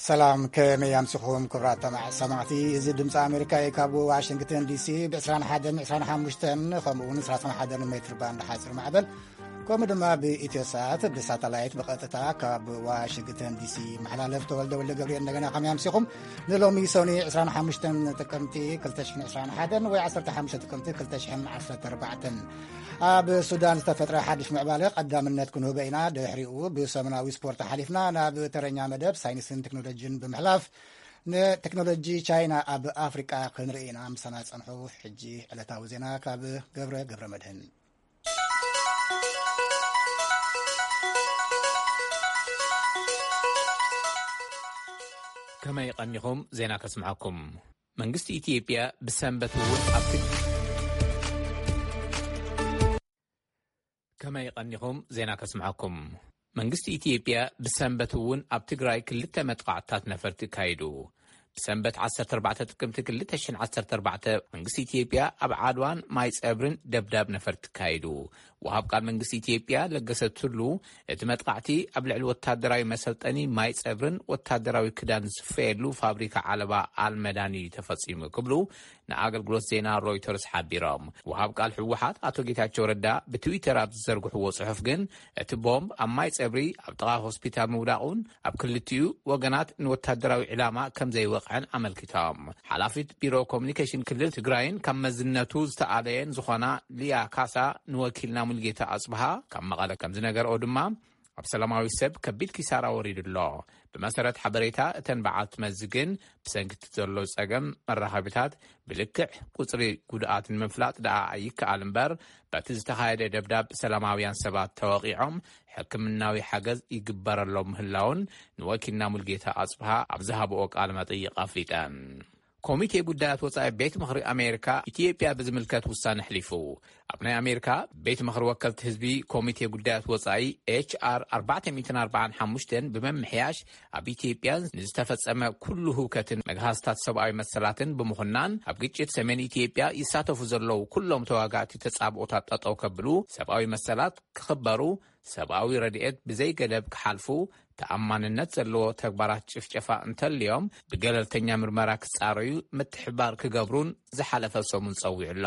ሰላም፣ ከመይ ኣምሲኹም ክቡራት ተማ-፣ ሰማዕቲ? እዚ ድምፂ ኣሜሪካ እዩ። ካብ ዋሽንግተን ዲሲ ብ ዕስራን ሓደን ዕስራን ሓሙሽተን ከምኡ እውን ሰላሳን ሓደን ሜትር ባንድ ሓፂር ማዕበል፣ ከምኡ ድማ ብኢትዮ ሰዓት ብሳተላይት ብቐጥታ ካብ ዋሽንግተን ዲሲ መሓላለፍ። ተወልደ ወልደ ገብርኤል እንደገና ከመይ ኣምሲኹም? ንሎሚ ሰኒ ዕስራን ሓሙሽተን ጥቅምቲ ክልተ ሽሕን ዕስራን ሓደን ወይ ዓሰርተ ሓሙሽተ ጥቅምቲ ክልተ ሽሕን ዓሰርተ ኣርባዕተን። ኣብ ሱዳን ዝተፈጥረ ሓድሽ ምዕባለ ቀዳምነት ክንህቦ ኢና። ድሕሪኡ ብሰሙናዊ ስፖርት ሓሊፍና ናብ ተረኛ መደብ ሳይንስን ቴክኖሎጂን ብምሕላፍ ንቴክኖሎጂ ቻይና ኣብ ኣፍሪቃ ክንርኢ ኢና። ምሳና ጸንሑ። ሕጂ ዕለታዊ ዜና ካብ ገብረ ገብረ መድህን። ከመይ ቀኒኹም? ዜና ከስምዓኩም። መንግስቲ ኢትዮጵያ ብሰንበት እውን ኣብ ትግ-፣ ከመይ ቀኒኹም? ዜና ከስምዓኩም። መንግስቲ ኢትዮጵያ ብሰንበት እውን ኣብ ትግራይ ክልተ መጥቃዕትታት ነፈርቲ ኣካይዱ። ብሰንበት ዓሰርተ ኣርባዕተ ጥቅምቲ ክልተ ሽሕን ዓሰርተ ኣርባዕተ መንግስቲ ኢትዮጵያ ኣብ ዓድዋን ማይ ጸብርን ደብዳብ ነፈርቲ ኣካይዱ። ወሃብ ቃል መንግስቲ ኢትዮጵያ ለገሰ ቱሉ፣ እቲ መጥቃዕቲ ኣብ ልዕሊ ወታደራዊ መሰልጠኒ ማይ ጸብርን ወታደራዊ ክዳን ዝስፈየሉ ፋብሪካ ዓለባ ኣልመዳኒ እዩ ተፈጺሙ ክብሉ ንኣገልግሎት ዜና ሮይተርስ ሓቢሮም። ወሃብ ቃል ህወሓት ኣቶ ጌታቸው ረዳ ብትዊተር ኣብ ዝዘርግሕዎ ጽሑፍ ግን፣ እቲ ቦምብ ኣብ ማይ ጸብሪ ኣብ ጥቓ ሆስፒታል ምውዳቑን ኣብ ክልቲኡ ወገናት ንወታደራዊ ዕላማ ከም ዘይወቕዐን ኣመልኪቶም። ሓላፊት ቢሮ ኮሙኒኬሽን ክልል ትግራይን ካብ መዝነቱ ዝተኣለየን ዝኾና ሊያ ካሳ ንወኪልና ሙልጌታ ኣጽብሃ ካብ መቐለ ከም ዝነገርኦ ድማ፣ ኣብ ሰላማዊ ሰብ ከቢድ ኪሳራ ወሪዱ ኣሎ። ብመሰረት ሓበሬታ እተን በዓልቲ መዚ ግን፣ ብሰንኪ እቲ ዘሎ ጸገም መራኸቢታት ብልክዕ ቁጽሪ ጉድኣት ንምፍላጥ ደኣ ኣይከኣል እምበር፣ በቲ ዝተኻየደ ደብዳብ ሰላማውያን ሰባት ተወቒዖም ሕክምናዊ ሓገዝ ይግበረሎም ምህላውን ንወኪልና ሙልጌታ ኣጽብሃ ኣብ ዝሃብኦ ቃለ መጠይቕ ኣፍሊጠን። ኮሚቴ ጉዳያት ወጻኢ ቤት ምኽሪ ኣሜሪካ ኢትዮጵያ ብዝምልከት ውሳነ ኣሕሊፉ። ኣብ ናይ ኣሜሪካ ቤት ምኽሪ ወከልቲ ህዝቢ ኮሚቴ ጉዳያት ወጻኢ ኤች ኣር ኣርባዕተ ሚእትን ኣርባዓን ሓሙሽተን ብምምሕያሽ፣ ኣብ ኢትዮጵያ ንዝተፈጸመ ኩሉ ህውከትን መግሃስታት ሰብኣዊ መሰላትን ብምኹናን፣ ኣብ ግጭት ሰሜን ኢትዮጵያ ይሳተፉ ዘለዉ ኩሎም ተዋጋእቲ ተጻብኦታት ጠጠው ከብሉ፣ ሰብኣዊ መሰላት ክኽበሩ፣ ሰብኣዊ ረድኤት ብዘይገደብ ክሓልፉ፣ ተኣማንነት ዘለዎ ተግባራት ጭፍጨፋ እንተልዮም ብገለልተኛ ምርመራ ክጻረዩ ምትሕብባር ክገብሩን ዝሓለፈ ሰሙን ጸዊዑ ኣሎ።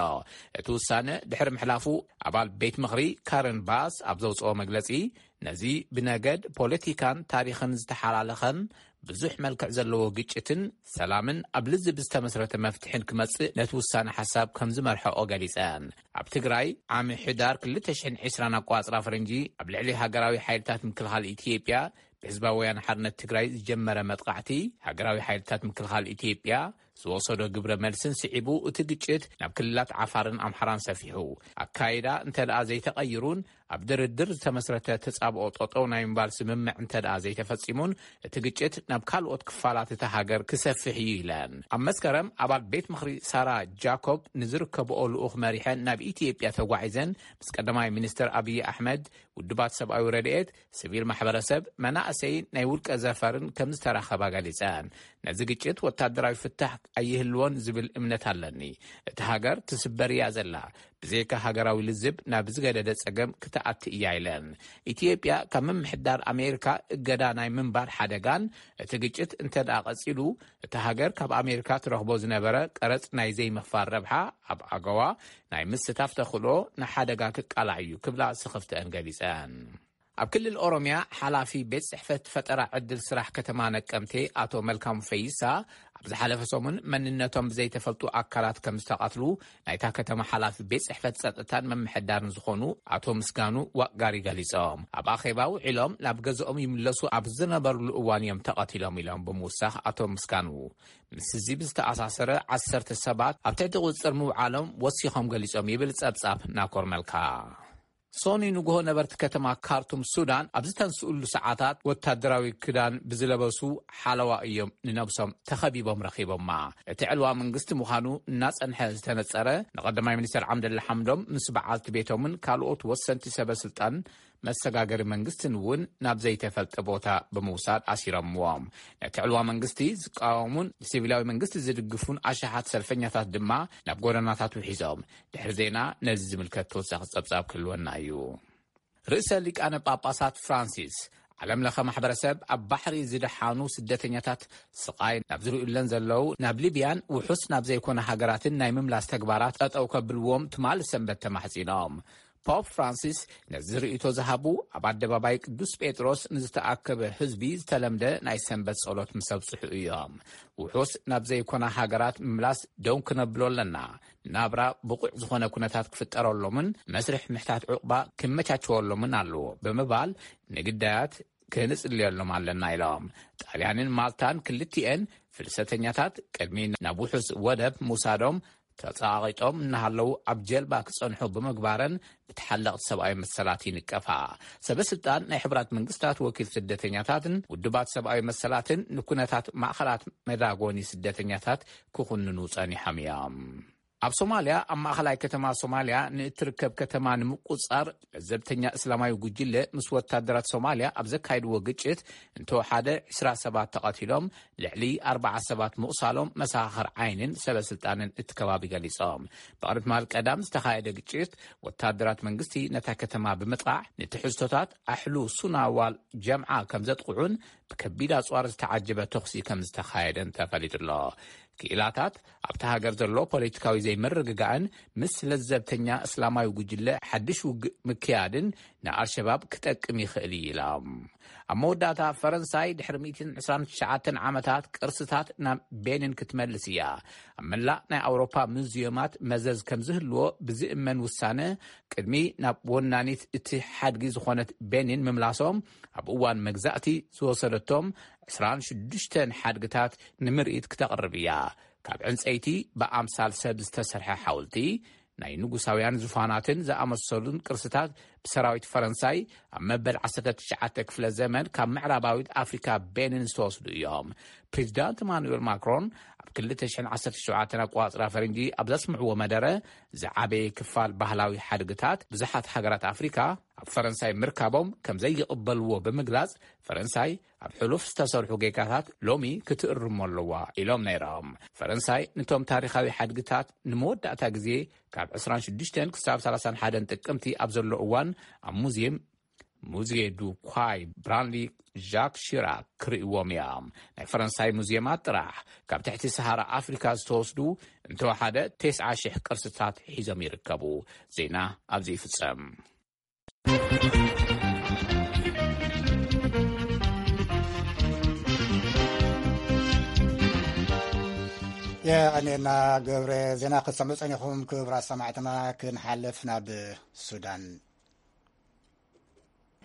እቲ ውሳነ ድሕሪ ምሕላፉ፣ ኣባል ቤት ምኽሪ ካረን ባስ ኣብ ዘውጽኦ መግለጺ፣ ነዚ ብነገድ፣ ፖለቲካን ታሪኽን ዝተሓላለኸን ብዙሕ መልክዕ ዘለዎ ግጭትን ሰላምን ኣብ ልዝብ ዝተመስረተ መፍትሕን ክመጽእ ነቲ ውሳነ ሓሳብ ከም ዝመርሐኦ ገሊጸን። ኣብ ትግራይ ዓሚ ሕዳር ክልተ ሽሕን ዕስራን ኣቋጽራ ፈረንጂ ኣብ ልዕሊ ሃገራዊ ሓይልታት ምክልኻል ኢትዮጵያ ብህዝባዊ ወያነ ሓርነት ትግራይ ዝጀመረ መጥቃዕቲ፣ ሃገራዊ ሓይልታት ምክልኻል ኢትዮጵያ ዝወሰዶ ግብረ መልስን ስዒቡ፣ እቲ ግጭት ናብ ክልላት ዓፋርን ኣምሓራን ሰፊሑ። ኣካይዳ እንተ ደኣ ዘይተቐይሩን ኣብ ድርድር ዝተመስረተ ተጻብኦ ጠጠው ናይ ምባል ስምምዕ እንተ ደኣ ዘይተፈጺሙን፣ እቲ ግጭት ናብ ካልኦት ክፋላት እታ ሃገር ክሰፍሕ እዩ ኢለን። ኣብ መስከረም ኣባል ቤት ምኽሪ ሳራ ጃኮብ ንዝርከብኦ ልኡኽ መሪሐን ናብ ኢትዮጵያ ተጓዒዘን ምስ ቀዳማይ ሚኒስትር ኣብይ ኣሕመድ፣ ውድባት ሰብኣዊ ረድኤት፣ ሲቪል ማሕበረሰብ፣ መናእሰይን ናይ ውልቀ ዘፈርን ከም ዝተራኸባ ገሊጸን። ነዚ ግጭት ወታደራዊ ፍታሕ ኣይህልዎን ዝብል እምነት ኣለኒ። እታ ሃገር ትስበር እያ ዘላ። ብዘይካ ሃገራዊ ልዝብ ናብ ዝገደደ ጸገም ክትኣቲ እያ ኢለን። ኢትዮጵያ ካብ ምምሕዳር ኣሜሪካ እገዳ ናይ ምንባር ሓደጋን እቲ ግጭት እንተ ደኣ ቀጺሉ፣ እታ ሃገር ካብ ኣሜሪካ ትረኽቦ ዝነበረ ቀረጽ ናይ ዘይምኽፋል ረብሓ ኣብ ኣገዋ ናይ ምስታፍ ተኽእሎ ንሓደጋ ክቃላዕ እዩ ክብላ ስኽፍተአን ገሊጸን። ኣብ ክልል ኦሮሚያ ሓላፊ ቤት ጽሕፈት ፈጠራ ዕድል ስራሕ ከተማ ነቀምቴ ኣቶ መልካሙ ፈይሳ ኣብ ዝሓለፈ ሰሙን መንነቶም ብዘይተፈልጡ ኣካላት ከም ዝተቐትሉ ናይታ ከተማ ሓላፊ ቤት ጽሕፈት ጸጥታን ምምሕዳርን ዝኾኑ ኣቶ ምስጋኑ ዋቅጋሪ ገሊጾም። ኣብ ኣኼባ ውዒሎም ናብ ገዝኦም ይምለሱ ኣብ ዝነበርሉ እዋን እዮም ተቐቲሎም ኢሎም ብምውሳኽ ኣቶ ምስጋኑ ምስ እዚ ብዝተኣሳሰረ ዓሰርተ ሰባት ኣብ ትሕቲ ቁጽጽር ምውዓሎም ወሲኾም ገሊጾም ይብል ጸብጻብ ናኮር መልካ። ሶኒ ንግሆ ነበርቲ ከተማ ካርቱም ሱዳን ኣብ ዝተንስኡሉ ሰዓታት ወታደራዊ ክዳን ብዝለበሱ ሓለዋ እዮም ንነብሶም ተኸቢቦም ረኺቦማ። እቲ ዕልዋ መንግስቲ ምዃኑ እናጸንሐ ዝተነጸረ ንቐዳማይ ሚኒስትር ዓብደላ ሓምዶም ምስ በዓልቲ ቤቶምን ካልኦት ወሰንቲ ሰበ ስልጣን መሰጋገሪ መንግስትን እውን ናብ ዘይተፈልጠ ቦታ ብምውሳድ ኣሲሮምዎም። ነቲ ዕልዋ መንግስቲ ዝቃወሙን ንሲቪላዊ መንግስቲ ዝድግፉን ኣሽሓት ሰልፈኛታት ድማ ናብ ጎደናታት ውሒዞም። ድሕሪ ዜና ነዚ ዝምልከት ተወሳኺ ጸብጻብ ክህልወና እዩ። ርእሰ ሊቃነ ጳጳሳት ፍራንሲስ ዓለም ለኸ ማሕበረሰብ ኣብ ባሕሪ ዝደሓኑ ስደተኛታት ስቓይ ናብ ዝርእዩለን ዘለዉ ናብ ሊብያን ውሑስ ናብ ዘይኮነ ሃገራትን ናይ ምምላስ ተግባራት ጠጠው ከብልዎም ትማል ሰንበት ተማሕጺኖም። ፖፕ ፍራንሲስ ነዚ ርእይቶ ዝሃቡ ኣብ ኣደባባይ ቅዱስ ጴጥሮስ ንዝተኣከበ ህዝቢ ዝተለምደ ናይ ሰንበት ጸሎት ምስ ኣብጽሑ እዮም። ውሑስ ናብ ዘይኮና ሃገራት ምምላስ ደው ክነብሎ ኣለና። ናብራ ብቑዕ ዝኾነ ኩነታት ክፍጠረሎምን መስርሕ ምሕታት ዕቑባ ክመቻቸወሎምን ኣለዎ ብምባል ንግዳያት ክንጽልየሎም ኣለና ኢሎም። ጣልያንን ማልታን ክልቲኤን ፍልሰተኛታት ቅድሚ ናብ ውሑስ ወደብ ምውሳዶም ተጸቓቒጦም እናሃለዉ ኣብ ጀልባ ክጸንሑ ብምግባረን ብተሓለቕቲ ሰብኣዊ መሰላት ይንቀፋ። ሰበ ስልጣን ናይ ሕቡራት መንግስታት ወኪል ስደተኛታትን ውድባት ሰብኣዊ መሰላትን ንኩነታት ማእኸላት መዳጎኒ ስደተኛታት ክኹንኑ ጸኒሖም እዮም። ኣብ ሶማልያ ኣብ ማእኸላይ ከተማ ሶማልያ ንእትርከብ ከተማ ንምቁጻር ለዘብተኛ እስላማዊ ጉጅለ ምስ ወታደራት ሶማልያ ኣብ ዘካየድዎ ግጭት እንተወሓደ ዕስራ ሰባት ተቐቲሎም ልዕሊ ኣርባዓ ሰባት ምቑሳሎም መሰኻኽር ዓይንን ሰበ ስልጣንን እቲ ከባቢ ገሊጾም። ብቕድሚ ትማል ቀዳም ዝተኻየደ ግጭት ወታደራት መንግስቲ ነታ ከተማ ብምጥቓዕ ንትሕዝቶታት ኣሕሉ ሱና ዋል ጀምዓ ከም ዘጥቕዑን ብከቢድ ኣጽዋር ዝተዓጀበ ተኹሲ ከም ዝተኻየደን ተፈሊጡ ኣሎ። ክኢላታት ኣብቲ ሃገር ዘሎ ፖለቲካዊ ዘይምርግጋእን ምስ ለዘብተኛ እስላማዊ ጉጅለ ሓድሽ ውግእ ምክያድን ንኣልሸባብ ክጠቅም ይኽእል እዩ ኢሎም። ኣብ መወዳእታ ፈረንሳይ ድሕሪ ሚእትን ዕስራን ትሽዓተን ዓመታት ቅርስታት ናብ ቤኒን ክትመልስ እያ። ኣብ መላእ ናይ ኣውሮፓ ሙዚየማት መዘዝ ከም ዝህልዎ ብዝእመን ውሳነ ቅድሚ ናብ ወናኒት እቲ ሓድጊ ዝኾነት ቤኒን ምምላሶም ኣብ እዋን መግዛእቲ ዝወሰደቶም ዕስራን ሽዱሽተን ሓድግታት ንምርኢት ክተቕርብ እያ። ካብ ዕንጸይቲ ብኣምሳል ሰብ ዝተሰርሐ ሓውልቲ ናይ ንጉሳውያን ዙፋናትን ዝኣመሰሉን ቅርስታት ብሰራዊት ፈረንሳይ ኣብ መበል ዓሰርተ ትሽዓተ ክፍለ ዘመን ካብ ምዕራባዊት ኣፍሪካ ቤኒን ዝተወስዱ እዮም። ፕሬዚዳንት ኢማኑኤል ማክሮን ኣብ ክልተ ሽሕን ዓሰርተ ሸውዓተን ኣቆጻጽራ ፈረንጂ ኣብ ዘስምዕዎ መደረ ዝዓበየ ክፋል ባህላዊ ሓድግታት ብዙሓት ሃገራት ኣፍሪካ ኣብ ፈረንሳይ ምርካቦም ከም ዘይቕበልዎ ብምግላጽ ፈረንሳይ ኣብ ሕሉፍ ዝተሰርሑ ጌጋታት ሎሚ ክትእርሞ ኣለዋ ኢሎም ነይሮም። ፈረንሳይ ነቶም ታሪኻዊ ሓድግታት ንመወዳእታ ግዜ ካብ ዕስራን ሽዱሽተን ክሳብ ሰላሳን ሓደን ጥቅምቲ ኣብ ዘሎ እዋን ኣብ ሙዚየም ሙዚየ ዱ ኳይ ብራንሊ ዣክ ሺራክ ክርእይዎም እዮም። ናይ ፈረንሳይ ሙዚየማት ጥራሕ ካብ ትሕቲ ሰሃራ ኣፍሪካ ዝተወስዱ እንተወሓደ ተስዓ ሽሕ ቅርስታት ሒዞም ይርከቡ። ዜና ኣብዚ ይፍጸም። የቐኔና ገብረ። ዜና ክትሰምዑ ጸኒኹም ክቡራት ሰማዕትና። ክንሓልፍ ናብ ሱዳን።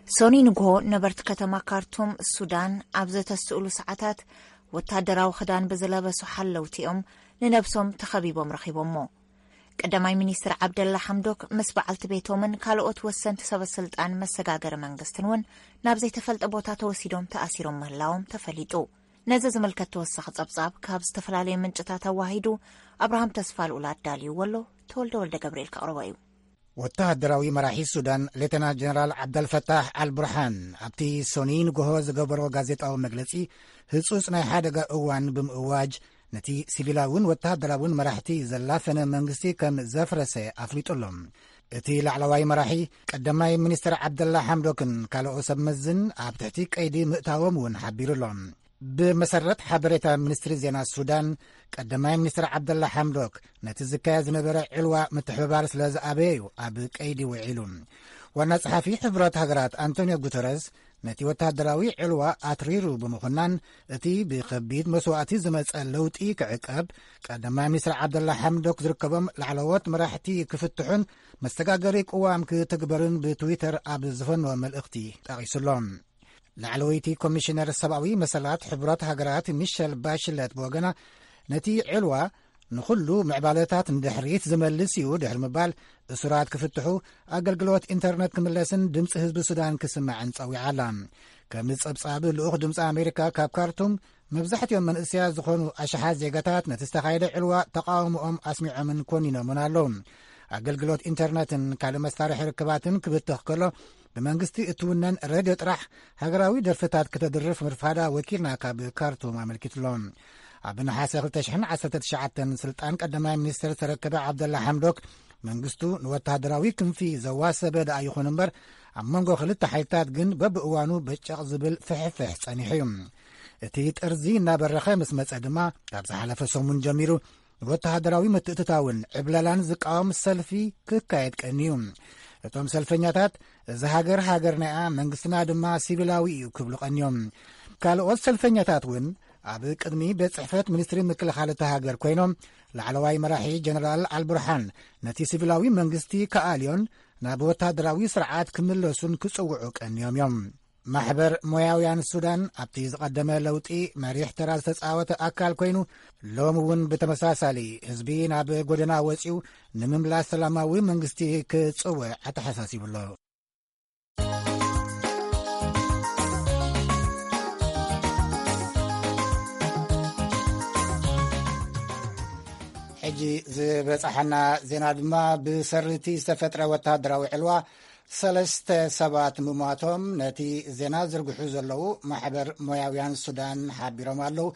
ሶኒ ንግሆ ነበርቲ ከተማ ካርቱም ሱዳን ኣብ ዘተስእሉ ሰዓታት ወታደራዊ ክዳን ብዝለበሱ ሓለውቲ እዮም ንነብሶም ተኸቢቦም ረኺቦሞ። ቀዳማይ ሚኒስትር ዓብደላ ሓምዶክ ምስ በዓልቲ ቤቶምን ካልኦት ወሰንቲ ሰበ ስልጣን መሰጋገሪ መንግስትን እውን ናብ ዘይተፈልጠ ቦታ ተወሲዶም ተኣሲሮም ምህላዎም ተፈሊጡ። ነዚ ዝምልከት ተወሳኺ ጸብጻብ ካብ ዝተፈላለዩ ምንጭታት ኣዋሂዱ ኣብርሃም ተስፋ ልኡል ኣዳልዩ ወሎ ተወልደ ወልደ ገብርኤል ከቕርቦ እዩ። ወተሃደራዊ መራሒ ሱዳን ሌተና ጀነራል ዓብደልፈታሕ ኣልቡርሃን ኣብቲ ሶኒ ንግሆ ዝገበሮ ጋዜጣዊ መግለጺ ህጹጽ ናይ ሓደጋ እዋን ብምእዋጅ ነቲ ሲቪላውን ወተሃደራውን መራሕቲ ዘላፈነ መንግስቲ ከም ዘፍረሰ ኣፍሊጡ ኣሎ። እቲ ላዕለዋይ መራሒ ቀዳማይ ሚኒስትር ዓብደላ ሓምዶክን ካልኦ ሰብ መዝን ኣብ ትሕቲ ቀይዲ ምእታዎም እውን ሓቢሩ ኣሎ። ብመሰረት ሓበሬታ ሚኒስትሪ ዜና ሱዳን፣ ቀዳማይ ሚኒስትር ዓብደላ ሓምዶክ ነቲ ዝካየድ ዝነበረ ዕልዋ ምትሕብባር ስለ ዝኣበየ እዩ ኣብ ቀይዲ ውዒሉ። ዋና ጸሓፊ ሕቡራት ሃገራት ኣንቶኒዮ ጉተረዝ ነቲ ወተሃደራዊ ዕልዋ ኣትሪሩ ብምኹናን፣ እቲ ብኸቢድ መስዋእቲ ዝመጸ ለውጢ ክዕቀብ፣ ቀዳማይ ሚኒስትር ዓብደላ ሓምዶክ ዝርከቦም ላዕለዎት መራሕቲ ክፍትሑን መሰጋገሪ ቅዋም ክትግበርን ብትዊተር ኣብ ዝፈነወ መልእኽቲ ጠቒሱሎም። ላዕለወይቲ ኮሚሽነር ሰብኣዊ መሰላት ሕቡራት ሃገራት ሚሸል ባሽለት ብወገና፣ ነቲ ዕልዋ ንኹሉ ምዕባለታት ንድሕሪት ዝመልስ እዩ ድሕሪ ምባል፣ እሱራት ክፍትሑ፣ ኣገልግሎት ኢንተርነት ክምለስን ድምፂ ህዝቢ ሱዳን ክስማዕን ጸዊዓ ኣላ። ከም ጸብጻብ ልኡኽ ድምፂ ኣሜሪካ ካብ ካርቱም፣ መብዛሕትኦም መንእሰያት ዝኾኑ ኣሽሓት ዜጋታት ነቲ ዝተኻየደ ዕልዋ ተቓውሞኦም ኣስሚዖምን ኮኒኖምን ኣለዉ። ኣገልግሎት ኢንተርነትን ካልእ መሳርሒ ርክባትን ክብተኽ ከሎ፣ ብመንግስቲ እትውነን ሬድዮ ጥራሕ ሃገራዊ ደርፍታት ከተድርፍ ምርፋዳ ወኪልና ካብ ካርቱም ኣመልኪቱሎ። ኣብ ነሓሰ ክልተ ሽሕን ዓሰርተ ትሽዓተን ስልጣን ቀዳማይ ሚኒስትር ዝተረከበ ዓብደላ ሓምዶክ መንግስቱ ንወተሃደራዊ ክንፊ ዘዋሰበ ደኣ ይኹን እምበር፣ ኣብ መንጎ ክልተ ሓይልታት ግን በብእዋኑ በጨቕ ዝብል ፍሕፍሕ ጸኒሑ እዩ። እቲ ጥርዚ እናበረኸ ምስ መጸ ድማ፣ ካብ ዝሓለፈ ሰሙን ጀሚሩ ንወተሃደራዊ ምትእትታውን ዕብለላን ዝቃወም ሰልፊ ክካየድ ቀንዩ። እቶም ሰልፈኛታት፣ "እዚ ሃገር ሃገርና እያ፣ መንግስትና ድማ ሲቪላዊ እዩ" ክብሉ ቀንዮም። ካልኦት ሰልፈኛታት እውን ኣብ ቅድሚ ቤት ጽሕፈት ሚኒስትሪ ምክልኻል እታ ሃገር ኮይኖም፣ ላዕለዋይ መራሒ ጀነራል ኣልቡርሃን ነቲ ሲቪላዊ መንግስቲ ክኣልዮን ናብ ወታደራዊ ስርዓት ክምለሱን ክጽውዑ ቀንዮም እዮም። ማሕበር ሞያውያን ሱዳን ኣብቲ ዝቐደመ ለውጢ መሪሕ ተራ ዝተጻወተ ኣካል ኮይኑ፣ ሎሚ እውን ብተመሳሳሊ ህዝቢ ናብ ጎደና ወጺኡ ንምምላስ ሰላማዊ መንግስቲ ክጽውዕ ኣተሓሳሲቡ ኣሎ። ሕጂ ዝበጻሓና ዜና ድማ፣ ብሰርቲ ዝተፈጥረ ወተሃደራዊ ዕልዋ ሰለስተ ሰባት ምሟቶም ነቲ ዜና ዝርግሑ ዘለዉ ማሕበር ሞያውያን ሱዳን ሓቢሮም ኣለዉ።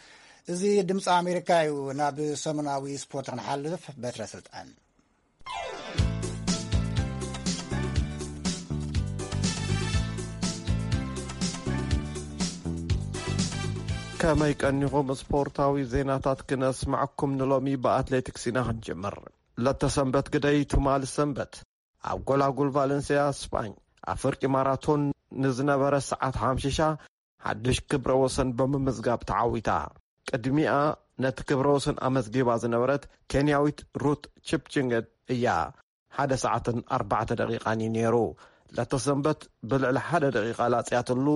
እዚ ድምፂ ኣሜሪካ እዩ። ናብ ሰሙናዊ ስፖርት ክንሓልፍ፣ በትረ ስልጣን። ከመይ ቀኒኹም? ስፖርታዊ ዜናታት ክነስማዕኩም ንሎሚ ብኣትሌቲክስ ኢና ክንጅምር። ለተሰንበት ግደይ ትማሊ ሰንበት ኣብ ጎላጉል ቫለንሲያ ስጳኝ ኣብ ፍርቂ ማራቶን ንዝነበረ ሰዓት ሓምሽሻ ሓድሽ ክብረ ወሰን ብምምዝጋብ ተዓዊታ። ቅድሚኣ ነቲ ክብረ ወሰን ኣመዝጊባ ዝነበረት ኬንያዊት ሩት ቺፕችንገት እያ። ሓደ ሰዓትን ኣርባዕተ ደቂቓን እዩ ነይሩ። ለተሰንበት ብልዕሊ ሓደ ደቂቓ ላጽያትሉ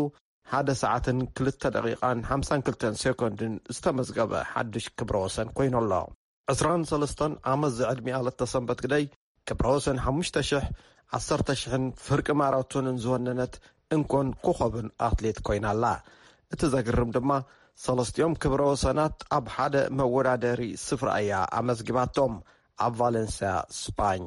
ሓደ ሰዓትን ክልተ ደቂቓን ሓምሳን ክልተን ሴኮንድን ዝተመዝገበ ሓድሽ ክብረ ወሰን ኮይኑ ኣሎ። ዕስራን ሰለስተን ዓመት ዝዕድሚኣ ለተሰንበት ግደይ ክብረ ወሰን ሓሙሽተ ሽሕ፣ ዓሰርተ ሽሕን ፍርቂ ማራቶንን ዝወነነት እንኮን ኮኸብን ኣትሌት ኮይና ኣላ። እቲ ዘግርም ድማ ሰለስቲኦም ክብረ ወሰናት ኣብ ሓደ መወዳደሪ ስፍራ እያ ኣመዝጊባቶም፣ ኣብ ቫለንስያ ስጳኝ።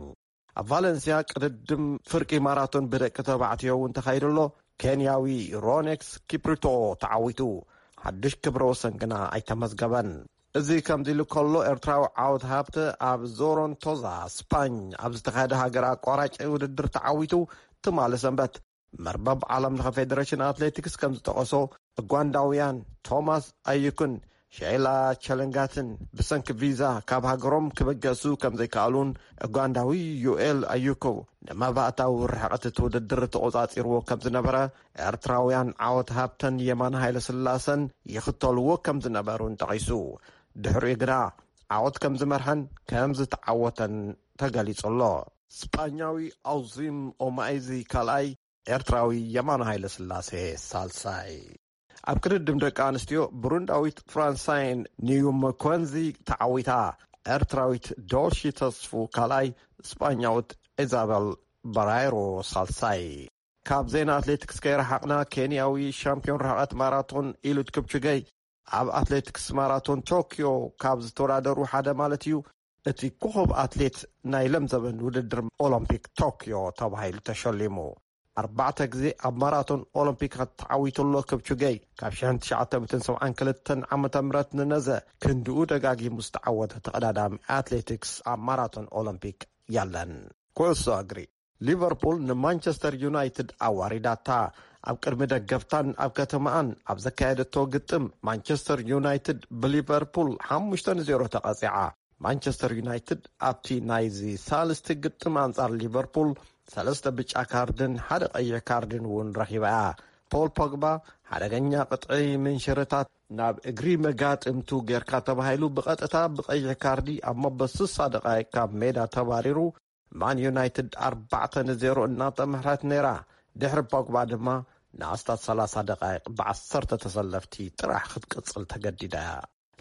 ኣብ ቫለንስያ ቅድድም ፍርቂ ማራቶን ብደቂ ተባዕትዮ እውን ተኻይዱ ኣሎ። ኬንያዊ ሮኔክስ ኪፕሪቶ ተዓዊቱ፣ ሓድሽ ክብረ ወሰን ግና ኣይተመዝገበን። እዚ ከምዚ ኢሉ ከሎ፣ ኤርትራዊ ዓወት ሃብተ ኣብ ዞሮንቶዛ ስፓኝ ኣብ ዝተኻየደ ሃገር ኣቋራጭ ውድድር ተዓዊቱ፣ ትማሊ ሰንበት። መርበብ ዓለም ለኸ ፌደሬሽን ኣትሌቲክስ ከም ዝጠቐሶ፣ እጓንዳውያን ቶማስ ኣዩክን ሸይላ ቸለንጋትን ብሰንኪ ቪዛ ካብ ሃገሮም ክበገሱ ከም ዘይከኣሉን፣ እጓንዳዊ ዩኤል ኣዩኮ ንመባእታዊ ርሕቐት እቲ ውድድር ተቖጻጺርዎ ከም ዝነበረ፣ ኤርትራውያን ዓወት ሃብተን የማነ ሃይለስላሰን ይኽተልዎ ከም ዝነበሩን ጠቒሱ። ድሕሪኡ ግና ዓወት ከም ዝመርሐን ከም ዝተዓወተን ተገሊጹ ኣሎ። ስጳኛዊ ኣውዚም ኦማይዚ ካልኣይ፣ ኤርትራዊ የማነ ሃይለስላሴ ሳልሳይ። ኣብ ቅድድም ደቂ ኣንስትዮ፣ ብሩንዳዊት ፍራንሳይን ኒዩመኮንዚ ተዓዊታ። ኤርትራዊት ዶልሺ ተስፉ ካልኣይ፣ ስጳኛዊት ኢዛበል በራይሮ ሳልሳይ። ካብ ዜና ኣትሌቲክስ ከይረሓቕና፣ ኬንያዊ ሻምፒዮን ርሕቐት ማራቶን ኢሉድ ክፕቹገይ ኣብ ኣትሌቲክስ ማራቶን ቶክዮ ካብ ዝተወዳደሩ ሓደ ማለት እዩ፣ እቲ ኮኸብ ኣትሌት ናይ ለምዘበን ውድድር ኦሎምፒክ ቶክዮ ተባሂሉ ተሸሊሙ። ኣርባዕተ ግዜ ኣብ ማራቶን ኦሎምፒክ ተዓዊቱ ኣሎ ክፕቹገይ። ካብ ሽሕን ትሽዓተ ሚእትን ሰብዓን ክልተን ዓመተ ምህረት ንነዘ ክንድኡ ደጋጊሙ ዝተዓወተ ተቐዳዳሚ ኣትሌቲክስ ኣብ ማራቶን ኦሎምፒክ የለን። ኩዕሶ እግሪ። ሊቨርፑል ንማንቸስተር ዩናይትድ ኣዋሪዳታ። ኣብ ቅድሚ ደገፍታን ኣብ ከተማኣን ኣብ ዘካየደቶ ግጥም፣ ማንቸስተር ዩናይትድ ብሊቨርፑል ሓሙሽተ ንዜሮ ተቐጺዓ። ማንቸስተር ዩናይትድ ኣብቲ ናይዚ ሳልስቲ ግጥም ኣንጻር ሊቨርፑል ሰለስተ ብጫ ካርድን ሓደ ቀይሕ ካርድን እውን ረኺባ እያ። ፖል ፖግባ ሓደገኛ ቅጥዒ ምንሽርታት ናብ እግሪ መጋጥምቱ ጌርካ ተባሂሉ ብቐጥታ ብቐይሕ ካርዲ ኣብ መበል ስሳ ደቓይቕ ካብ ሜዳ ተባሪሩ። ማን ዩናይትድ ኣርባዕተ ንዜሮ እናተመርሐት ነይራ። ድሕሪ ፖግባ ድማ ንኣስታት ሰላሳ ደቓይቕ ብዓሰርተ ተሰለፍቲ ጥራሕ ክትቅጽል ተገዲዳ እያ።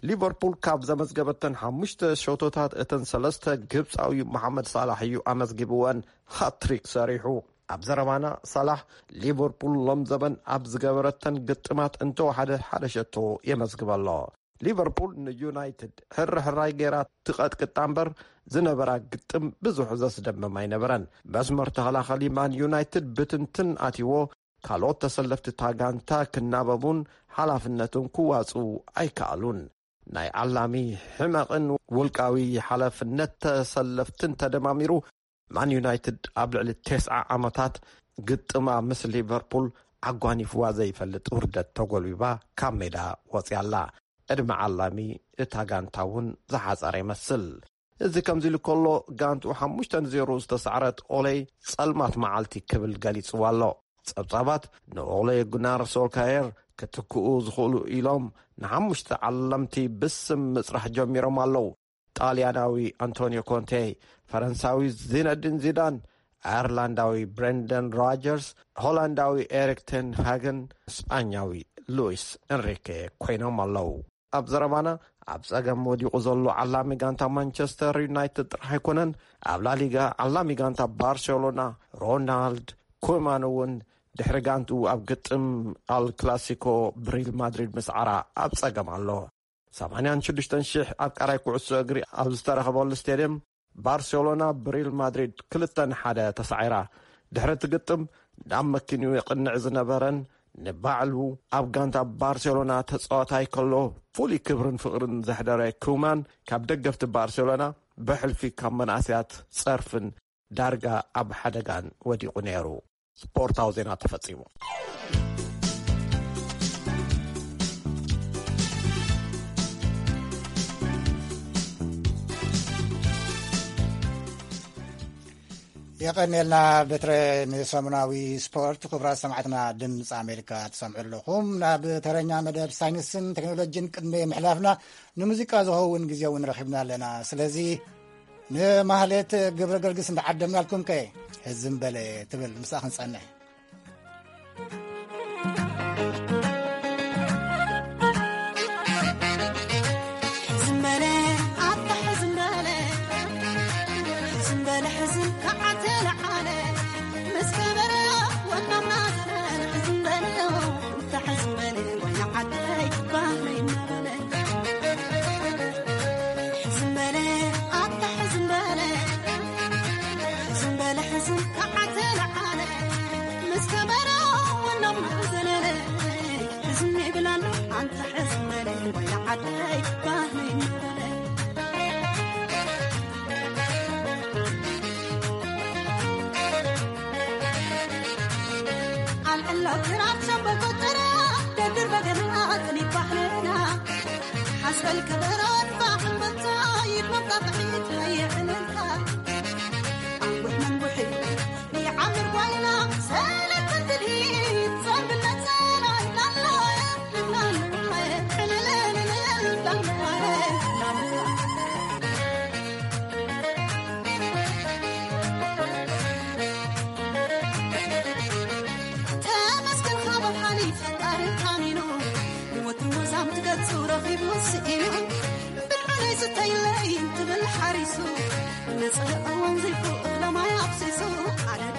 ሊቨርፑል ካብ ዘመዝገበተን ሓሙሽተ ሸቶታት እተን ሰለስተ ግብጻዊ መሓመድ ሳላሕ እዩ ኣመዝጊብወን፣ ሃትሪክ ሰሪሑ። ኣብ ዘረባና ሳላሕ፣ ሊቨርፑል ሎም ዘበን ኣብ ዝገበረተን ግጥማት እንተወሓደ ሓደ ሸቶ የመዝግበ ኣሎ። ሊቨርፑል ንዩናይትድ ሕርሕራይ ጌራ ትቐጥቅጣ እምበር፣ ዝነበራ ግጥም ብዙሕ ዘስደምም ኣይነበረን። መስመር ተኸላኸሊ ማን ዩናይትድ ብትንትን ኣትይዎ፣ ካልኦት ተሰለፍቲ እታ ጋንታ ክናበቡን ሓላፍነቶም ክዋጽኡ ኣይከኣሉን። ናይ ዓላሚ ሕመቕን ውልቃዊ ሓላፍነት ተሰለፍትን ተደማሚሩ፣ ማን ዩናይትድ ኣብ ልዕሊ ተስዓ ዓመታት ግጥማ ምስ ሊቨርፑል ኣጓኒፍዋ ዘይፈልጥ ውርደት ተጎልቢባ ካብ ሜዳ ወፅያ ኣላ። ዕድመ ዓላሚ እታ ጋንታ እውን ዝሓፀረ ይመስል። እዚ ከምዚ ኢሉ ከሎ፣ ጋንትኡ ሓሙሽተ ንዜሮ ዝተሳዕረት ኦሌ ጸልማት መዓልቲ ክብል ገሊጽዋ ኣሎ። ጸብጻባት ንኦሌ ጉናር ሶልካየር ክትክኡ ዝኽእሉ ኢሎም ንሓሙሽተ ዓለምቲ ብስም ምጽራሕ ጀሚሮም ኣለዉ። ጣልያናዊ ኣንቶኒዮ ኮንቴ፣ ፈረንሳዊ ዚነዲን ዚዳን፣ ኣየርላንዳዊ ብሬንደን ሮጀርስ፣ ሆላንዳዊ ኤሪክ ቴን ሃገን፣ ስጳኛዊ ሉዊስ ኤንሪኬ ኮይኖም ኣለዉ። ኣብ ዘረባና፣ ኣብ ጸገም ወዲቑ ዘሎ ዓላሚ ጋንታ ማንቸስተር ዩናይትድ ጥራሕ ኣይኮነን። ኣብ ላሊጋ ዓላሚ ጋንታ ባርሴሎና ሮናልድ ኩማን እውን ድሕሪ ጋንትኡ ኣብ ግጥም ኣል ክላሲኮ ብሪል ማድሪድ ምስዓራ ኣብ ጸገም ኣሎ። ሰማንያን ሽዱሽተን ሽሕ ኣፍቃራይ ኩዕሶ እግሪ ኣብ ዝተረኸበሉ ስቴድየም፣ ባርሴሎና ብሪል ማድሪድ ክልተ ንሓደ ተሳዒራ። ድሕሪ እቲ ግጥም፣ ናብ መኪንኡ የቕንዕ ዝነበረን ንባዕሉ ኣብ ጋንታ ባርሴሎና ተጻዋታይ ከሎ ፍሉይ ክብርን ፍቕርን ዘሕደረ ኩማን፣ ካብ ደገፍቲ ባርሴሎና ብሕልፊ ካብ መናእሰያት ጸርፍን ዳርጋ ኣብ ሓደጋን ወዲቑ ነይሩ። ስፖርታዊ ዜና ተፈጺሙ። የቐንየልና በትረ። ንሰሙናዊ ስፖርት፣ ክቡራት ሰማዕትና፣ ድምፂ ኣሜሪካ ትሰምዑ ኣለኹም። ናብ ተረኛ መደብ ሳይንስን ቴክኖሎጂን ቅድሚ ምሕላፍና፣ ንሙዚቃ ዝኸውን ግዜ እውን ረኺብና ኣለና። ስለዚ ንማህሌት ግብረ ገርግስ እንዳዓደምናልኩም ከ፣ ህዝም በለ ትብል፣ ምስኣ ክንጸንሕ። ሕዝም በለ፣ ኣታ ሕዝም በለ፣ ሕዝም በለ፣ ሕዝም ከዓተ ለዓለ፣ ምስ ከበረ ወናምና ዘበለ፣ ሕዝም በለ፣ ኣታ ሕዝም በለ፣ ወይና ዓደይ ባህለይ እናበለ። ሕዝም በለ፣ ኣታ ሕዝም በለ፣ ሕዝም በለ፣ ሕዝም ከዓተ ለዓለ፣ ምስ ከበረ ወናምና ዘለለ። ሕዝም ይብል ኣሎ ኣንታ ሕዝም በለ፣ ወይና ዓደይ ባህለይ እናበለ። ኣልዕሎ ክራር ሸምበቆ ጭራ፣ ደርድር በገና ኣጽኒት ባህልና። ሓስበል ከበሮን ባሕንበታ፣ ይድመም ጣቕዒት ከየዕለልካ። ኣንቡሕ መንቡሒ ይዓምር ጓይላ፣ ሰለተን ትልሂት ዘንብለት ሰላይ ላላየ፣ ላላየ፣ ዕልልልልል ላላየ፣ ላላየ። ተመስገን ካብ ሓሊፍ ፈጣሪ ታሚኑ፣ ንወትሩ ወዛም ትገጹ ረኺቡ ስኢኑ። ብልዑለይ ስተይለይ ትብል ሓሪሱ፣ ንጽህ እዋን ዘይፉ እኽለ ማይ ኣፍሲሱ። ኣረድ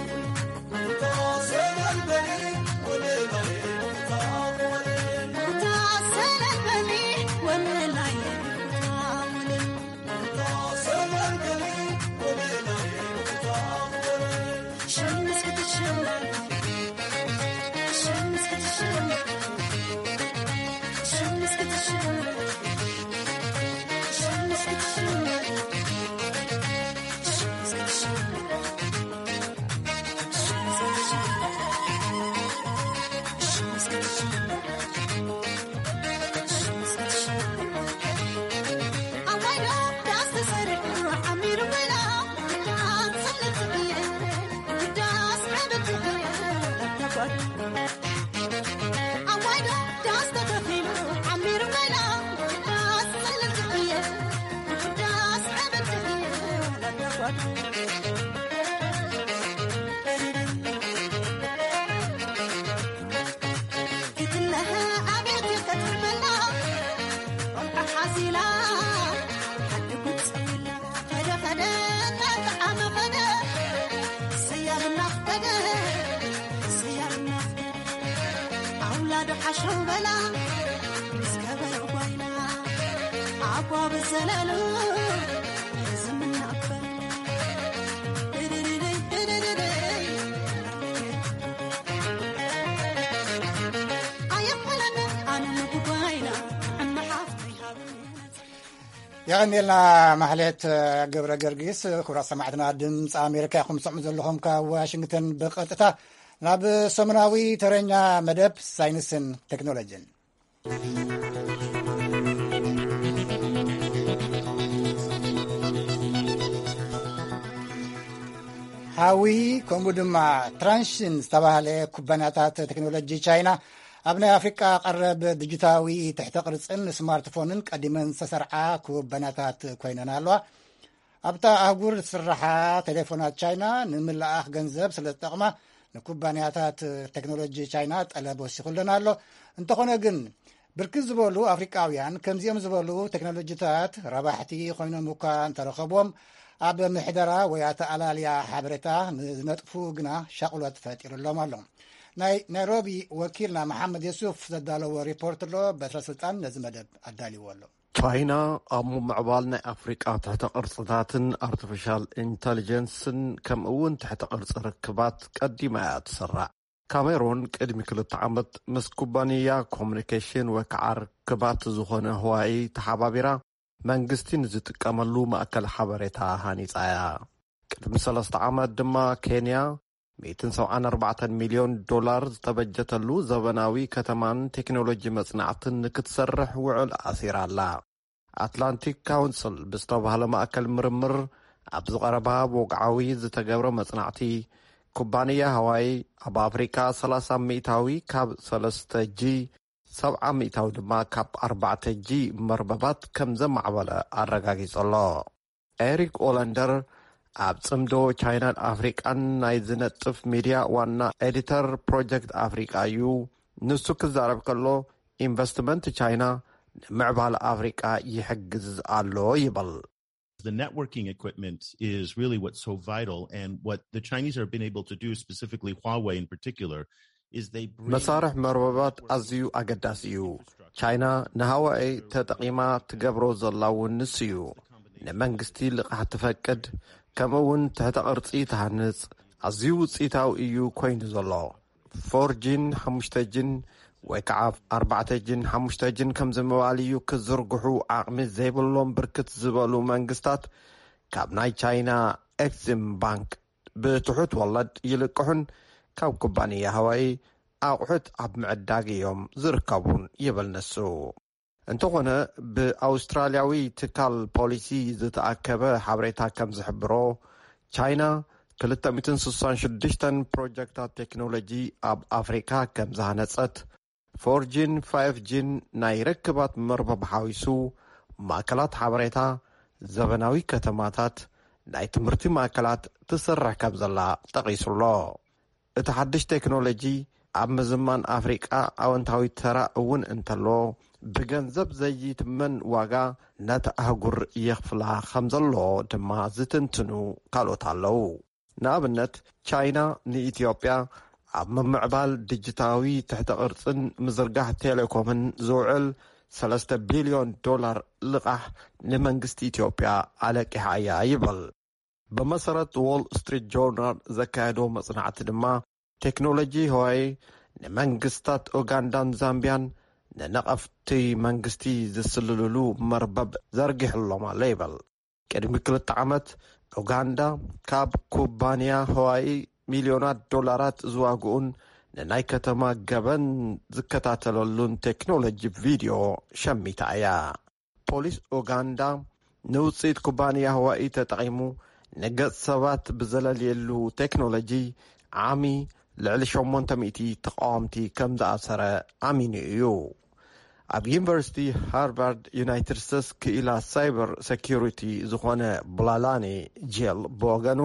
ክትለሀ ኣቤት ከትርመላ ቆልዓ ሓዚላ ሓዲ ጉድ ጸዊላ። ከደ ከደ እናጠዓመ ከደ ሰያብ እናፍቀደ ሰያብ እናፍቀደ ኣውላዱ ሓሸው በላ ምስ ከበሮ ጓይላ ኣቧ ብዘለሉ ዝምናበር የቐንየልና። ማሕሌት ገብረ ገርጊስ። ክቡራት ሰማዕትና፣ ድምፂ ኣሜሪካ ኢኹም ትሰምዑ ዘለኹም ካብ ዋሽንግተን ብቐጥታ። ናብ ሰሙናዊ ተረኛ መደብ ሳይንስን ቴክኖሎጂን። ሃዊ፣ ከምኡ ድማ ትራንሽን ዝተባህለ ኩባንያታት ቴክኖሎጂ ቻይና ኣብ ናይ ኣፍሪቃ ቀረብ ዲጂታዊ ትሕተ ቅርጽን ስማርትፎንን ቀዲመን ዝተሰርዓ ኩባንያታት ኮይነን ኣለዋ። ኣብታ ኣህጉር ዝስራሓ ቴሌፎናት ቻይና ንምልኣኽ ገንዘብ ስለ ዝጠቕማ፣ ንኩባንያታት ቴክኖሎጂ ቻይና ጠለብ ወሲኹለን ኣሎ። እንተኾነ ግን፣ ብርክት ዝበሉ ኣፍሪቃውያን ከምዚኦም ዝበሉ ቴክኖሎጂታት ረባሕቲ ኮይኖም እኳ እንተረኸብዎም፣ ኣብ ምሕደራ ወይ ኣተኣላልያ ሓበሬታ ንዝነጥፉ ግና ሻቕሎት ፈጢሩሎም ኣሎ። ናይ ናይሮቢ ወኪልና መሓመድ የሱፍ ዘዳለዎ ሪፖርት ኣሎ። በትረ ስልጣን ነዚ መደብ ኣዳልዎ ኣሎ። ቻይና ኣብ ምምዕባል ናይ ኣፍሪቃ ትሕተ ቅርጽታትን ኣርቲፊሻል ኢንተሊጀንስን ከምኡ እውን ትሕተ ቅርጺ ርክባት ቀዲማ እያ ትስራዕ። ካሜሩን ቅድሚ ክልተ ዓመት ምስ ኩባንያ ኮሙኒኬሽን ወይ ከዓ ርክባት ዝኾነ ህዋኢ ተሓባቢራ መንግስቲ ንዝጥቀመሉ ማእከል ሓበሬታ ሃኒጻ እያ። ቅድሚ ሰለስተ ዓመት ድማ ኬንያ ሚእትን ሰብዓን ኣርባዕተን ሚልዮን ዶላር ዝተበጀተሉ ዘበናዊ ከተማን ቴክኖሎጂ መጽናዕትን ንክትሰርሕ ውዕል ኣሲራ ኣላ። ኣትላንቲክ ካውንስል ብዝተባህለ ማእከል ምርምር ኣብ ዝቐረባ ብወግዓዊ ዝተገብረ መጽናዕቲ፣ ኩባንያ ሃዋይ ኣብ ኣፍሪካ ሰላሳ ሚእታዊ ካብ ሰለስተ ጂ፣ ሰብዓ ሚእታዊ ድማ ካብ ኣርባዕተ ጂ መርበባት ከም ዘማዕበለ ኣረጋጊጹ ኣሎ። ኤሪክ ኦለንደር ኣብ ጽምዶ ቻይናን ኣፍሪቃን ናይ ዝነጥፍ ሚድያ ዋና ኤዲተር ፕሮጀክት ኣፍሪቃ እዩ። ንሱ ክዛረብ ከሎ፣ ኢንቨስትመንት ቻይና ንምዕባለ ኣፍሪቃ ይሕግዝ ኣሎ ይብል። The networking equipment is really what's so vital, and what the Chinese have been able to do, specifically Huawei in particular, is they bring መሳርሕ መርበባት ኣዝዩ ኣገዳሲ እዩ። ቻይና ንሃዋይ ተጠቒማ ትገብሮ ዘላ እውን ንሱ እዩ። ንመንግስቲ ልቓሕ ትፈቅድ፣ ከምኡ እውን ትሕተ ቅርጺ ትሃንጽ። ኣዝዩ ውጽኢታዊ እዩ ኮይኑ ዘሎ። ፎር ጂን ሓሙሽተ ጂን ወይ ከዓ ኣርባዕተ ጂን ሓሙሽተ ጂን ከም ዝምባል እዩ ክዝርግሑ ዓቕሚ ዘይብሎም ብርክት ዝበሉ መንግስታት ካብ ናይ ቻይና ኤክዚም ባንክ ብትሑት ወለድ ይልቅሑን ካብ ኩባንያ ሃዋይ ኣቑሑት ኣብ ምዕዳግ እዮም ዝርከቡን ይብል ንሱ። እንተኾነ፣ ብኣውስትራልያዊ ትካል ፖሊሲ ዝተኣከበ ሓበሬታ ከም ዝሕብሮ፣ ቻይና ክልተ ሚእትን ስሳን ሽዱሽተን ፕሮጀክታት ቴክኖሎጂ ኣብ ኣፍሪካ ከም ዝሃነጸት፣ ፎር ጂን ፋይቭ ጂን ናይ ርክባት መርበብ ሓዊሱ፣ ማእከላት ሓበሬታ፣ ዘበናዊ ከተማታት፣ ናይ ትምህርቲ ማእከላት ትሰርሕ ከም ዘላ ጠቒሱ ኣሎ። እቲ ሓድሽ ቴክኖሎጂ ኣብ ምዝማን ኣፍሪቃ ኣወንታዊ ተራ እውን እንተሎ፣ ብገንዘብ ዘይትመን ዋጋ ነታ ኣህጉር የኽፍላ ከም ዘሎ ድማ ዝትንትኑ ካልኦት ኣለዉ። ንኣብነት፣ ቻይና ንኢትዮጵያ ኣብ ምምዕባል ዲጂታዊ ትሕተ ቅርጽን ምዝርጋሕ ቴሌኮምን ዝውዕል ሰለስተ ቢልዮን ዶላር ልቓሕ ንመንግስቲ ኢትዮጵያ ኣለቂሓ እያ ይብል። ብመሰረት ዎል ስትሪት ጆርናል ዘካየዶ መጽናዕቲ ድማ፣ ቴክኖሎጂ ህዋይ ንመንግስታት ኡጋንዳን ዛምቢያን ንነቐፍቲ መንግስቲ ዝስልልሉ መርበብ ዘርጊሕሎም ኣሎ ይብል። ቅድሚ ክልተ ዓመት፣ ኡጋንዳ ካብ ኩባንያ ህዋይ ሚልዮናት ዶላራት ዝዋግኡን ንናይ ከተማ ገበን ዝከታተለሉን ቴክኖሎጂ ቪድዮ ሸሚታ እያ። ፖሊስ ኡጋንዳ ንውፅኢት ኩባንያ ህዋኢ ተጠቒሙ ንገፅ ሰባት ብዘለልየሉ ቴክኖሎጂ ዓሚ ልዕሊ ሸሞንተ ሚእቲ ተቃወምቲ ከም ዝኣሰረ ኣሚኑ እዩ። ኣብ ዩኒቨርሲቲ ሃርቫርድ ዩናይትድ ስቴትስ ክኢላ ሳይበር ሴኪሪቲ ዝኾነ ብላላኒ ጄል ብወገኑ፣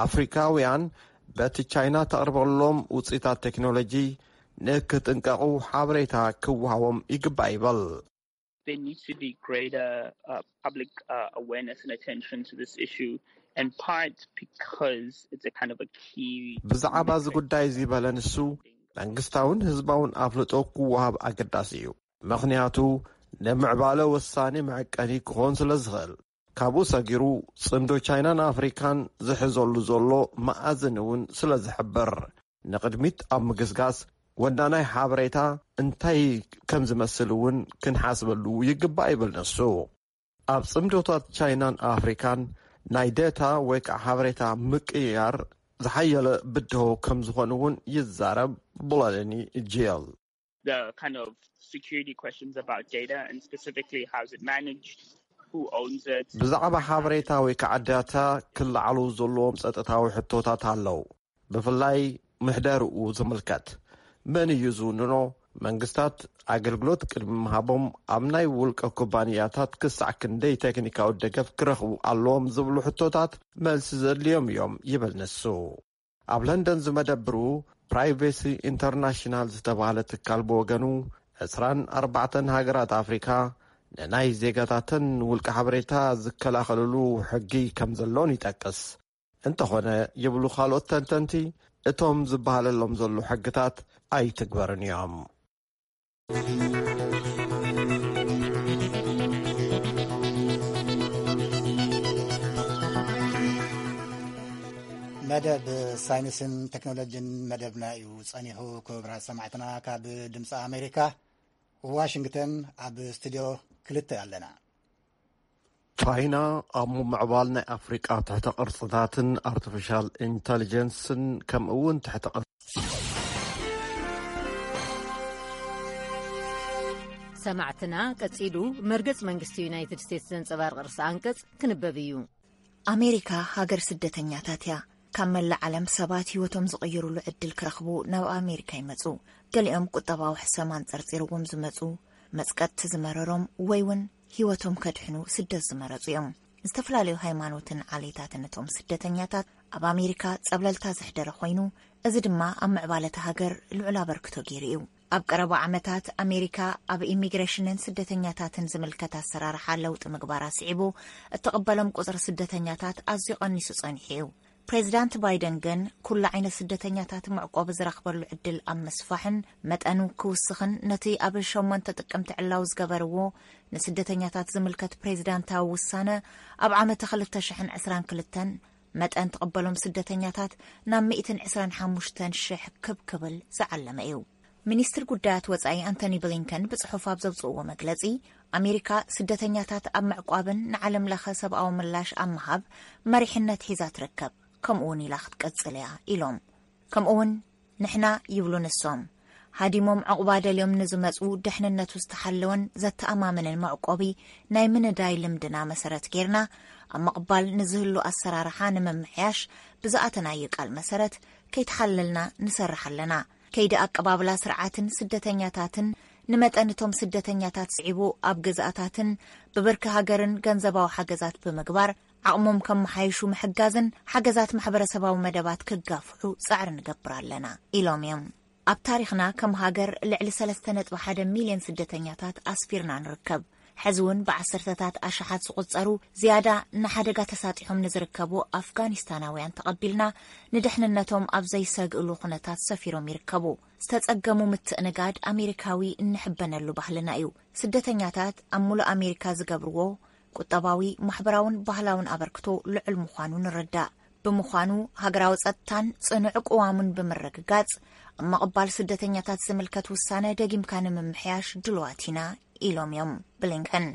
ኣፍሪካውያን በቲ ቻይና ተቕርበሎም ውፅኢታት ቴክኖሎጂ ንክጥንቀቑ ሓበሬታ ክወሃቦም ይግባእ ይብል። There needs to be greater uh, public uh, awareness and attention to this issue, and part because it's a kind of a key ብዛዕባ እዚ ጉዳይ እዚ በለ ንሱ፣ መንግስታውን ህዝባውን ኣፍልጦ ክወሃብ ኣገዳሲ እዩ። ምኽንያቱ፣ ንምዕባለ ወሳኒ መዐቀኒ ክኾን ስለ ዝኽእል። ካብኡ ሰጊሩ፣ ጽምዶ ቻይናን ኣፍሪካን ዝሕዘሉ ዘሎ መኣዝን እውን ስለ ዝሕብር፣ ንቕድሚት ኣብ ምግስጋስ ወናናይ ሓበሬታ እንታይ ከም ዝመስል እውን ክንሓስበሉ ይግባእ ይብል ንሱ። ኣብ ጽምዶታት ቻይናን ኣፍሪካን ናይ ዴታ ወይ ከዓ ሓበሬታ ምቅይያር ዝሓየለ ብድሆ ከም ዝኾኑ እውን ይዛረብ። ብሎለኒ ጄል the kind of security questions about data and specifically how's it managed, who owns it. ብዛዕባ ሓበሬታ ወይ ከዓ ዳታ ክለዓሉ ዘለዎም ጸጥታዊ ሕቶታት ኣለዉ። ብፍላይ ምሕደርኡ ዝምልከት፣ መን እዩ ዝውንኖ? መንግስታት ኣገልግሎት ቅድሚ ምሃቦም ኣብ ናይ ውልቀ ኩባንያታት ክሳዕ ክንደይ ቴክኒካዊ ደገፍ ክረኽቡ ኣለዎም ዝብሉ ሕቶታት መልሲ ዘድልዮም እዮም ይብል ንሱ። ኣብ ለንደን ዝመደብሩ ፕራይቬሲ ኢንተርናሽናል ዝተባህለ ትካል ብወገኑ፣ ዕስራን ኣርባዕተን ሃገራት ኣፍሪካ ንናይ ዜጋታተን ውልቀ ሓበሬታ ዝከላኸልሉ ሕጊ ከም ዘሎን ይጠቅስ። እንተኾነ ይብሉ ካልኦት ተንተንቲ፣ እቶም ዝበሃለሎም ዘሎ ሕግታት ኣይትግበርን እዮም። መደብ ሳይንስን ቴክኖሎጂን መደብና እዩ ጸኒሑ። ክቡራት ሰማዕትና፣ ካብ ድምፂ ኣሜሪካ ዋሽንግተን ኣብ ስቱድዮ ክልተ ኣለና። ቻይና ኣብ ምምዕባል ናይ ኣፍሪቃ ትሕተ ቅርፅታትን ኣርቲፊሻል ኢንተሊጀንስን ከምኡ እውን ትሕተ ቅርፂ ሰማዕትና፣ ቀጺሉ መርገጽ መንግስቲ ዩናይትድ ስቴትስ ዘንጸባርቕ ርእሰ ኣንቀጽ ክንበብ እዩ። ኣሜሪካ ሃገር ስደተኛታት እያ። ካብ መላእ ዓለም ሰባት ህይወቶም ዝቕይሩሉ ዕድል ክረኽቡ ናብ ኣሜሪካ ይመጹ። ገሊኦም ቁጠባዊ ሕሰም ኣንጸርጺርዎም ዝመጹ፣ መጽቀጥቲ ዝመረሮም ወይ እውን ህይወቶም ከድሕኑ ስደት ዝመረጹ እዮም። ዝተፈላለዩ ሃይማኖትን ዓሌታትን እቶም ስደተኛታት ኣብ ኣሜሪካ ጸብለልታ ዘሕደረ ኮይኑ፣ እዚ ድማ ኣብ ምዕባለ እታ ሃገር ልዑል ኣበርክቶ ገይሩ እዩ። ኣብ ቀረባ ዓመታት ኣሜሪካ ኣብ ኢሚግሬሽንን ስደተኛታትን ዝምልከት ኣሰራርሓ ለውጢ ምግባራ ስዒቡ፣ እትቕበሎም ቁጽሪ ስደተኛታት ኣዝዩ ቀኒሱ ጸኒሑ እዩ። ፕሬዚዳንት ባይደን ግን ኩሉ ዓይነት ስደተኛታት መዕቆቢ ዝረኽበሉ ዕድል ኣብ ምስፋሕን መጠኑ ክውስኽን ነቲ ኣብ ሸሞንተ ጥቅምቲ ዕላዊ ዝገበርዎ ንስደተኛታት ዝምልከት ፕሬዚዳንታዊ ውሳነ ኣብ ዓመተ ክልተ ሽሕን ዕስራን ክልተን መጠን ትቕበሎም ስደተኛታት ናብ ሚእትን ዕስራን ሓሙሽተን ሽሕ ክብ ክብል ዝዓለመ እዩ። ሚኒስትር ጉዳያት ወጻኢ ኣንቶኒ ብሊንከን ብጽሑፍ ኣብ ዘውጽእዎ መግለጺ፣ ኣሜሪካ ስደተኛታት ኣብ ምዕቋብን ንዓለም ለኸ ሰብኣዊ ምላሽ ኣብ ምሃብ መሪሕነት ሒዛ ትርከብ፣ ከምኡ እውን ኢላ ክትቀጽል እያ ኢሎም። ከምኡ እውን ንሕና ይብሉ ንሶም፣ ሃዲሞም ዕቑባ ደልዮም ንዝመጹ ደሕንነቱ ዝተሓለወን ዘተኣማምንን መዕቆቢ ናይ ምንዳይ ልምድና መሰረት ጌርና ኣብ ምቕባል ንዝህሉ ኣሰራርሓ ንምምሕያሽ ብዝኣተናዮ ቃል መሰረት ከይተሓለልና ንሰርሕ ኣለና። ከይዲ ኣቀባብላ ስርዓትን ስደተኛታትን ንመጠን እቶም ስደተኛታት ስዒቡ ኣብ ገዛእታትን ብብርኪ ሃገርን ገንዘባዊ ሓገዛት ብምግባር ዓቕሞም ከመሓይሹ ምሕጋዝን ሓገዛት ማሕበረሰባዊ መደባት ክጋፍሑ ጻዕሪ ንገብር ኣለና ኢሎም እዮም። ኣብ ታሪኽና ከም ሃገር ልዕሊ ሰለስተ ነጥቢ ሓደ ሚልዮን ስደተኛታት ኣስፊርና ንርከብ። ሕዚ እውን ብዓሰርተታት ኣሽሓት ዝቑጸሩ ዝያዳ ንሓደጋ ተሳጢሖም ንዝርከቡ ኣፍጋኒስታናውያን ተቐቢልና ንድሕንነቶም ኣብ ዘይሰግእሉ ኩነታት ሰፊሮም ይርከቡ። ዝተጸገሙ ምትእንጋድ ኣሜሪካዊ እንሕበነሉ ባህልና እዩ። ስደተኛታት ኣብ ሙሉእ ኣሜሪካ ዝገብርዎ ቁጠባዊ፣ ማሕበራውን ባህላውን ኣበርክቶ ልዑል ምዃኑ ንርዳእ። ብምዃኑ ሃገራዊ ጸጥታን ጽኑዕ ቅዋሙን ብምርግጋጽ ኣብ ምቕባል ስደተኛታት ዝምልከት ውሳነ ደጊምካ ንምምሕያሽ ድልዋት ኢና ኢሎም እዮም ብሊንከን።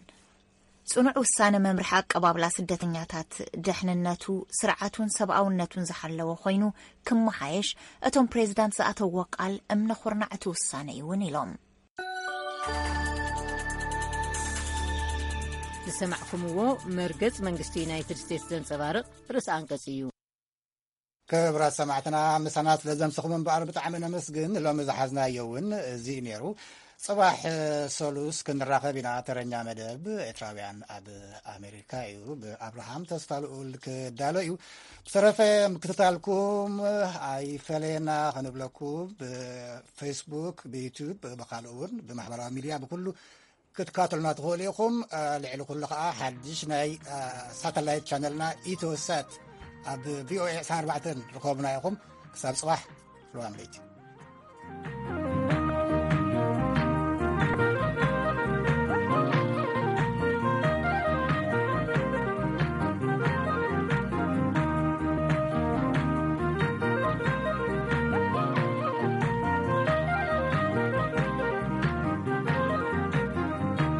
ጽኑዕ ውሳነ መምርሒ ኣቀባብላ ስደተኛታት ደሕንነቱ፣ ስርዓቱን ሰብኣውነቱን ዝሓለወ ኮይኑ ክመሓየሽ እቶም ፕሬዚዳንት ዝኣተዎ ቃል እምነ ኩርናዕ እቲ ውሳነ እዩ እውን ኢሎም። ዝሰማዕኩምዎ መርገጽ መንግስቲ ዩናይትድ ስቴትስ ዘንጸባርቕ ርእሲ ኣንቀጽ እዩ። ክብራት ሰማዕትና ምሳና ስለ ዘምሰኹም እምበኣር ብጣዕሚ ነመስግን። ሎሚ ዝሓዝናዮ እውን እዚ እዩ ነይሩ። ጽባሕ ሰሉስ ክንራኸብ ኢና። ተረኛ መደብ ኤርትራውያን ኣብ ኣሜሪካ እዩ፣ ብኣብርሃም ተስፋ ልኡል ክዳሎ እዩ። ብተረፈ ምክትታልኩም ኣይፈለየና ክንብለኩም ብፌስቡክ፣ ብዩቱብ፣ ብካልእ እውን ብማሕበራዊ ሚድያ ብኩሉ ክትካተሉና ትኽእሉ ኢኹም። ልዕሊ ኩሉ ከዓ ሓድሽ ናይ ሳተላይት ቻነልና ኢትዮሳት ኣብ ቪኦኤ ዕስራን ኣርባዕተን ርኸቡና ኢኹም። ክሳብ ጽባሕ፣ ርዋም ለይቲ።